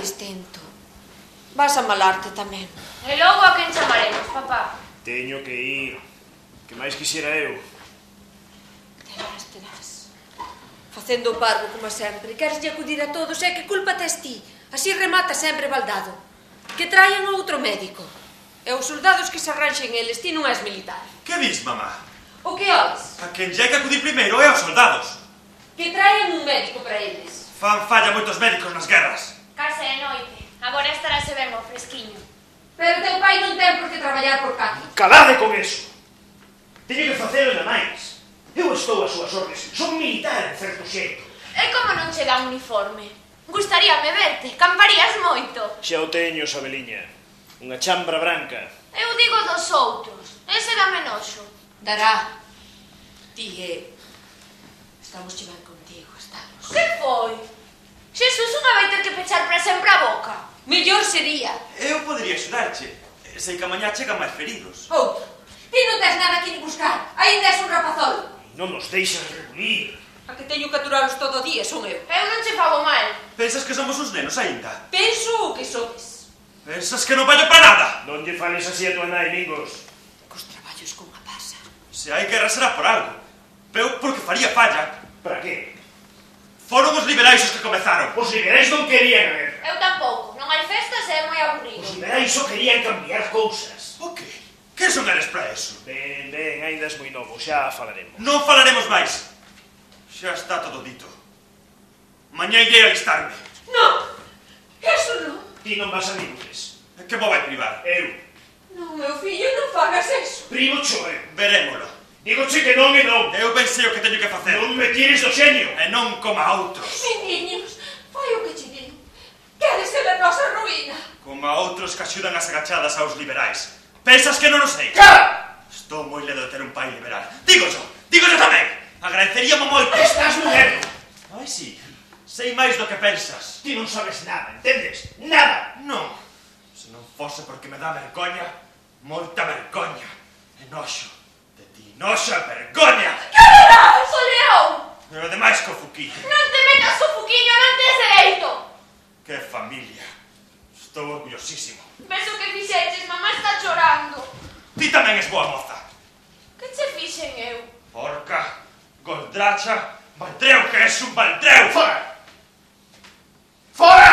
máis tento. Vas a malarte tamén. E logo a quen chamaremos, papá? Teño que ir. Que máis quixera eu. Terás. Facendo o parvo como sempre. Quereslle acudir a todos, e que culpa tes ti? Así remata sempre baldado. Que traian outro médico. E os soldados que se arranxen eles, ti non és militar. Que dis, mamá? O que ois? A quen lle hai que acudir primeiro é aos soldados. Que traian un médico para eles. Fan falla moitos médicos nas guerras. Case de noite. Agora estarase ben o fresquiño. Pero teu pai non ten por que traballar por cá. Calade con eso. Teño que facelo ainda máis. Eu estou ás súas ordes. Son militar, en certo xeito. E como non che dá un uniforme? Gustaríame verte, camparías moito. Xa o teño, Sabeliña. Unha chambra branca. Eu digo dos outros. Ese dame noxo. Dará. Ti estamos che ben contigo, estamos. Que foi? Xesús unha vai ter que pechar para sempre a boca. Mellor sería. Eu podería axudarche. Sei que a mañá chegan máis feridos. Outro. Ti non tes nada aquí ni buscar. Ainda és un rapazol. Non nos deixas reunir. A que teño que aturalos todo o día son eu. Eu non che fago mal. Pensas que somos uns nenos aínda? Penso o que sodes. Pensas que non vallo para nada? Non lle fales así a tua nai, Mingos. Cos traballos con a pasa. Se hai guerra será por algo. Eu porque faría falla. Para que? Foron os liberais os que comezaron. Os liberais non querían ver. Eu tampouco. Non hai festas e é moi aburrido. Os liberais só querían cambiar cousas. O que? Que son eres para eso? Ben, ainda és moi novo, xa falaremos. Non falaremos máis. Xa está todo dito. Mañá irei alistarme. Non. Eso non. Ti non vas a ningures. Que mo vai privar? Eu. Non, meu fillo, non fagas eso. Primo choe. Verémolo. Digoche que non e non. Eu pensei o que teño que facer. Non me tires do xeño. E non como a outros. Meniños, fai o que che digo. Queres ser a nosa ruína. Como a outros que axudan as agachadas aos liberais. Pensas que non o sei? Cara! Estou moi ledo de ter un pai liberal. Dígoxo tamén. Agradeceríamo moito. Estás nun erro. Ai, sí. Sei máis do que pensas. Ti non sabes nada, entendes? Nada. Non. Se non fose porque me dá vergoña, moita vergoña. E noxo. De ti, noxo e vergoña. Que verás, o león? E ademais co fuquiño. Non te metas o fuquiño, non tes dereito. Que familia. Estou orgullosísimo. Ves o que fixeches, mamá está chorando. Ti tamén és boa moza. Que che fixen eu? Porca, goldracha, baldreu que és un baldreu. Fora! Fora!